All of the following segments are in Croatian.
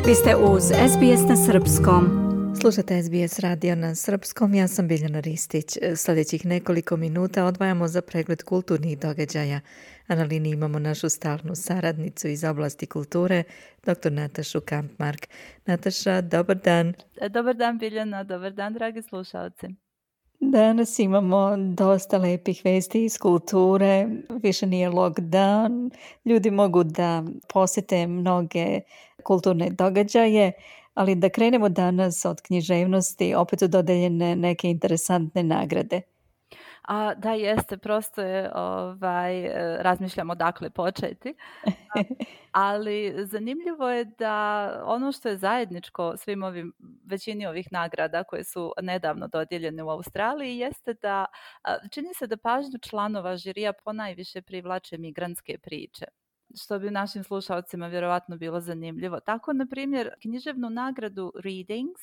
Vi ste uz SBS na Srpskom. Slušate SBS radio na Srpskom, ja sam Biljana Ristić. Sljedećih nekoliko minuta odvajamo za pregled kulturnih događaja, a na liniji imamo našu stalnu saradnicu iz oblasti kulture, dr. Natašu Kampmark. Nataša, dobar dan. Dobar dan Biljana, dobar dan dragi slušalci. Danas imamo dosta lepih vesti iz kulture, više nije lockdown, ljudi mogu da posjete mnoge kulturne događaje, ali da krenemo danas od književnosti, opet su dodeljene neke interesantne nagrade. Da, jeste, prosto je, razmišljam odakle početi, ali zanimljivo je da ono što je zajedničko svim većini ovih nagrada koje su nedavno dodijeljene u Australiji jeste da čini se da pažnju članova žirija ponajviše privlače migrantske priče, što bi našim slušalcima vjerovatno bilo zanimljivo. Tako, na primjer, književnu nagradu Readings,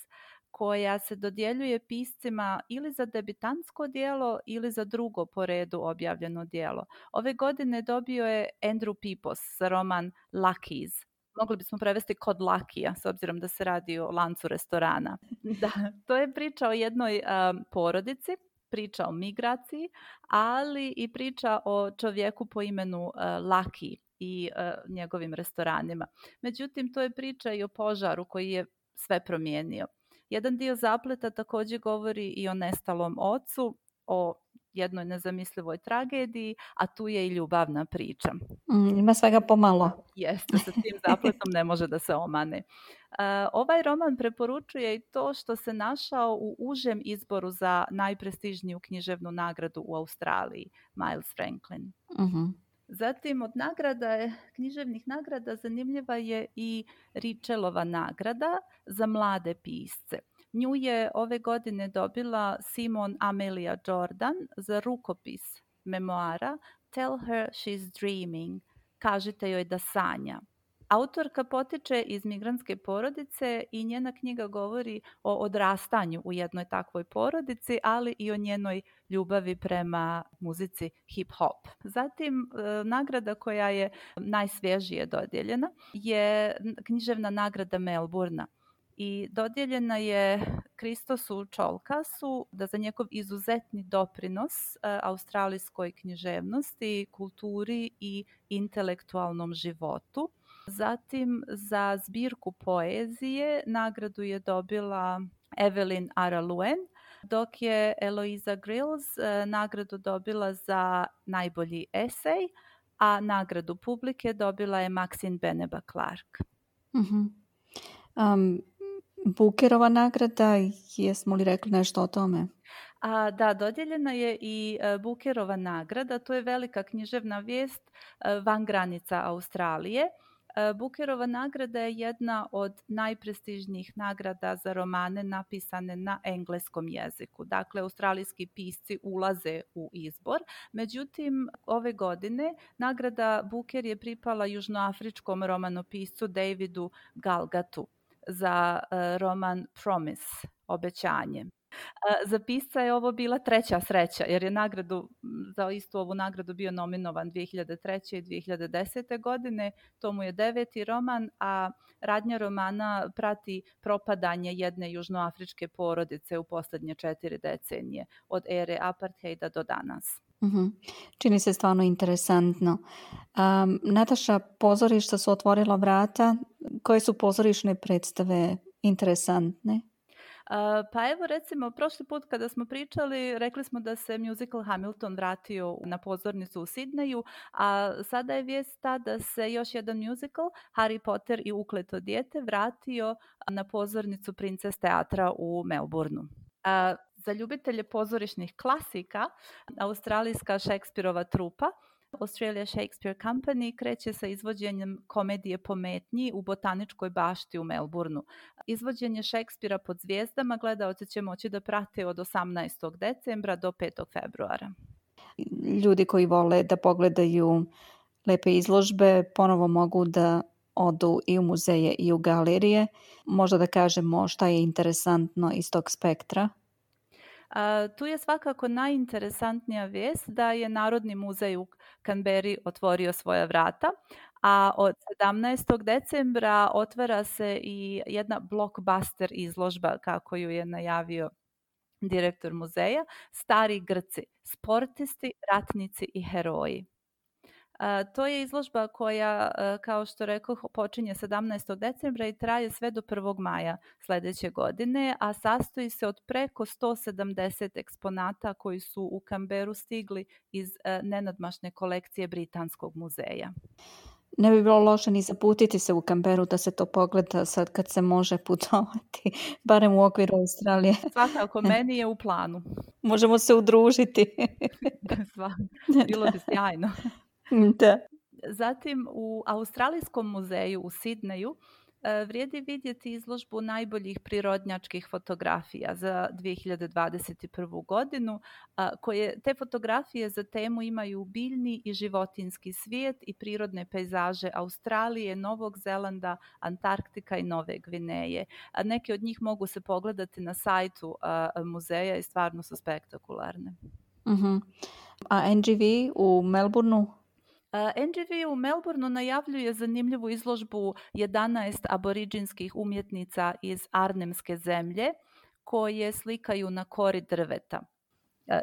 koja se dodjeljuje piscima ili za debitantsko djelo ili za drugo po redu objavljeno djelo. Ove godine dobio je Andrew Pipos za roman Lucky's. Mogli bismo prevesti Kod Lakija, s obzirom da se radi o lancu restorana. Da, to je priča o jednoj porodici, priča o migraciji, ali i priča o čovjeku po imenu Lucky i njegovim restoranima. Međutim, to je priča i o požaru koji je sve promijenio. Jedan dio zapleta također govori i o nestalom ocu, o jednoj nezamislivoj tragediji, a tu je i ljubavna priča. Ima svega pomalo. Jeste, sa tim zapletom ne može da se omane. Ovaj roman preporučuje i to što se našao u užem izboru za najprestižniju književnu nagradu u Australiji, Miles Franklin. Uh-huh. Zatim od književnih nagrada zanimljiva je i Richelova nagrada za mlade pisce. Nju je ove godine dobila Simon Amelia Jordan za rukopis memoara Tell Her She's Dreaming, kažite joj da sanja. Autorka potiče iz migrantske porodice i njena knjiga govori o odrastanju u jednoj takvoj porodici, ali i o njenoj ljubavi prema muzici hip-hop. Zatim, nagrada koja je najsvježije dodijeljena je književna nagrada Melbourna. I dodijeljena je Kristosu Čolkasu da za njegov izuzetni doprinos australijskoj književnosti, kulturi i intelektualnom životu. Zatim za zbirku poezije nagradu je dobila Evelyn Araluen, dok je Eloisa Grills nagradu dobila za najbolji esej, a nagradu publike dobila je Maxine Beneba Clark. Uh-huh. Bookerova nagrada, jesmo li rekli nešto o tome? Da, dodijeljena je i Bookerova nagrada, to je velika književna vijest van granica Australije. Bookerova nagrada je jedna od najprestižnijih nagrada za romane napisane na engleskom jeziku. Dakle, australijski pisci ulaze u izbor. Međutim, ove godine nagrada Booker je pripala južnoafričkom romanopiscu Davidu Galgatu za roman Promise, obećanje. Za pisca je ovo bila treća sreća, jer je za istu ovu nagradu bio nominovan 2003. i 2010. godine. To mu je 9. roman, a radnja romana prati propadanje jedne južnoafričke porodice u posljednje 4 decenije, od ere apartheida do danas. Uh-huh. Čini se stvarno interesantno. Nataša, pozorišta su otvorila vrata. Koje su pozorišne predstave interesantne? Pa evo, recimo, prošli put kada smo pričali, rekli smo da se musical Hamilton vratio na pozornicu u Sidneju, a sada je vijest ta da se još jedan musical, Harry Potter i ukleto dijete, vratio na pozornicu Princes teatra u Melbourneu. Za ljubitelje pozorišnih klasika, australijska Shakespeareova trupa Australia Shakespeare Company kreće sa izvođenjem komedije Pometnji u botaničkoj bašti u Melbourneu. Izvođenje Shakespearea pod zvijezdama gledaoci će moći da prate od 18. decembra do 5. februara. Ljudi koji vole da pogledaju lepe izložbe ponovo mogu da odu i u muzeje i u galerije. Možda da kažemo šta je interesantno iz tog spektra. Tu je svakako najinteresantnija vijest da je Narodni muzej u Canberri otvorio svoja vrata, a od 17. decembra otvara se i jedna blockbuster izložba, kako ju je najavio direktor muzeja, Stari Grci, sportisti, ratnici i heroji. To je izložba koja, kao što rekoh, počinje 17. decembra i traje sve do 1. maja sljedeće godine, a sastoji se od preko 170 eksponata koji su u Canberru stigli iz nenadmašne kolekcije Britanskog muzeja. Ne bi bilo loše ni zaputiti se u Canberru da se to pogleda sad kad se može putovati, barem u okviru Australije. Svakako, meni je u planu. Možemo se udružiti. Bilo bi sjajno. Da. Zatim u Australijskom muzeju u Sidneju vrijedi vidjeti izložbu najboljih prirodnjačkih fotografija za 2021. godinu, koje te fotografije za temu imaju biljni i životinjski svijet i prirodne pejzaže Australije, Novog Zelanda, Antarktika i Nove Gvineje. Neke od njih mogu se pogledati na sajtu muzeja i stvarno su spektakularne. Uh-huh. A NGV u Melbourneu? NGV u Melbourneu najavljuje zanimljivu izložbu 11 aboriđinskih umjetnica iz Arnhemske zemlje koje slikaju na kori drveta.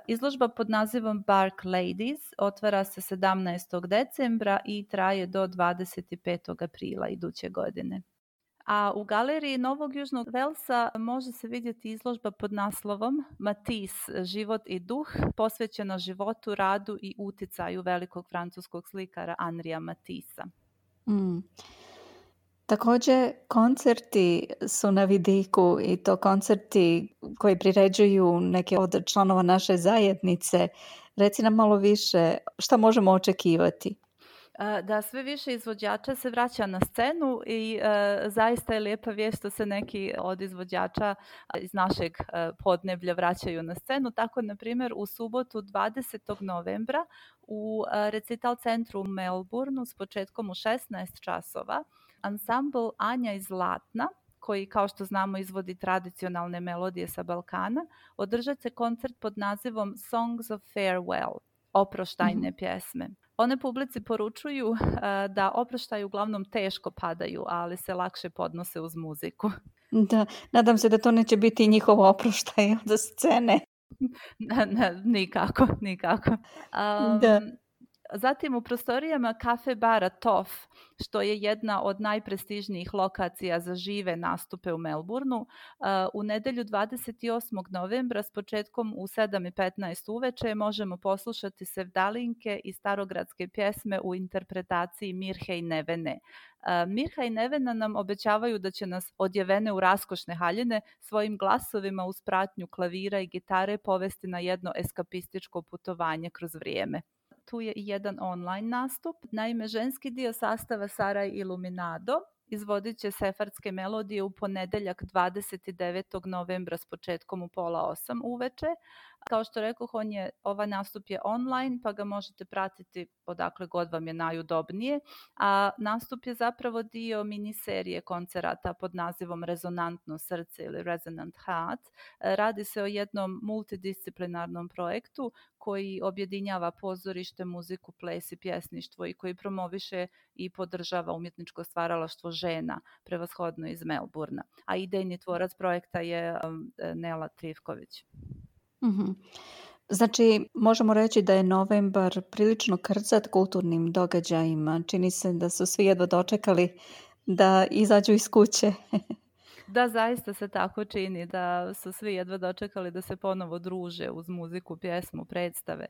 Izložba pod nazivom Bark Ladies otvara se 17. decembra i traje do 25. aprila iduće godine. A u galeriji Novog Južnog Velsa može se vidjeti izložba pod naslovom Matisse, život i duh, posvećena životu, radu i uticaju velikog francuskog slikara Henria Matissa. Također, koncerti su na vidiku i to koncerti koji priređuju neke od članova naše zajednice. Reci nam malo više šta možemo očekivati. Da, sve više izvođača se vraća na scenu i zaista je lijepa vijest što se neki od izvođača iz našeg podneblja vraćaju na scenu. Tako, na primjer, u subotu 20. novembra u Recital centru u Melbourneu s početkom u 16 časova ansambl Anja iz Zlatna, koji, kao što znamo, izvodi tradicionalne melodije sa Balkana, održat će koncert pod nazivom Songs of Farewell, oproštajne pjesme. One publici poručuju da oproštaji uglavnom teško padaju, ali se lakše podnose uz muziku. Da, nadam se da to neće biti njihovo oproštaj od scene. Nikako. Da. Zatim u prostorijama kafe bara Toff, što je jedna od najprestižnijih lokacija za žive nastupe u Melbourneu, u nedjelju 28. novembra s početkom u 7:15 uveče možemo poslušati sevdalinke i starogradske pjesme u interpretaciji Mirhe i Nevene. Mirha i Nevena nam obećavaju da će nas odjevene u raskošne haljine svojim glasovima uz pratnju klavira i gitare povesti na jedno eskapističko putovanje kroz vrijeme. Tu je i jedan online nastup. Naime, ženski dio sastava Saraj Iluminado izvodit će sefardske melodije u ponedjeljak 29. novembra s početkom u 7:30 uveče. Kao što rekoh, ovaj nastup je online, pa ga možete pratiti odakle god vam je najudobnije. A nastup je zapravo dio miniserije koncerata pod nazivom Rezonantno srce ili Resonant Heart. Radi se o jednom multidisciplinarnom projektu koji objedinjava pozorište, muziku, ples i pjesništvo i koji promoviše i podržava umjetničko stvaralaštvo žena, prevashodno iz Melbournea. A idejni tvorac projekta je Nela Trivković. Mm-hmm. Znači, možemo reći da je novembar prilično krcat kulturnim događajima. Čini se da su svi jedva dočekali da izađu iz kuće. Da, zaista se tako čini, da su svi jedva dočekali da se ponovo druže uz muziku, pjesmu, predstave.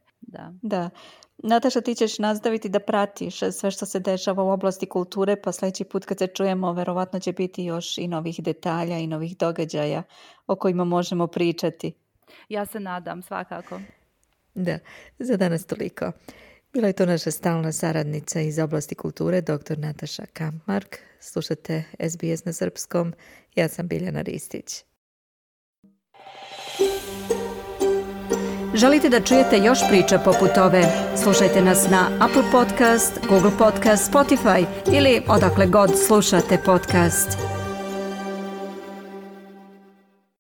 Da. Nataša, ti ćeš nastaviti da pratiš sve što se dešava u oblasti kulture, pa sljedeći put kad se čujemo, verovatno će biti još i novih detalja i novih događaja o kojima možemo pričati. Ja se nadam, svakako. Da, za danas toliko. Bila je to naša stalna saradnica iz oblasti kulture, dr. Nataša Kampmark. Slušate SBS na srpskom. Ja sam Biljana Ristić. Želite da čujete još priča poput ove? Slušajte nas na Apple Podcast, Google Podcast, Spotify ili odakle god slušate podcast.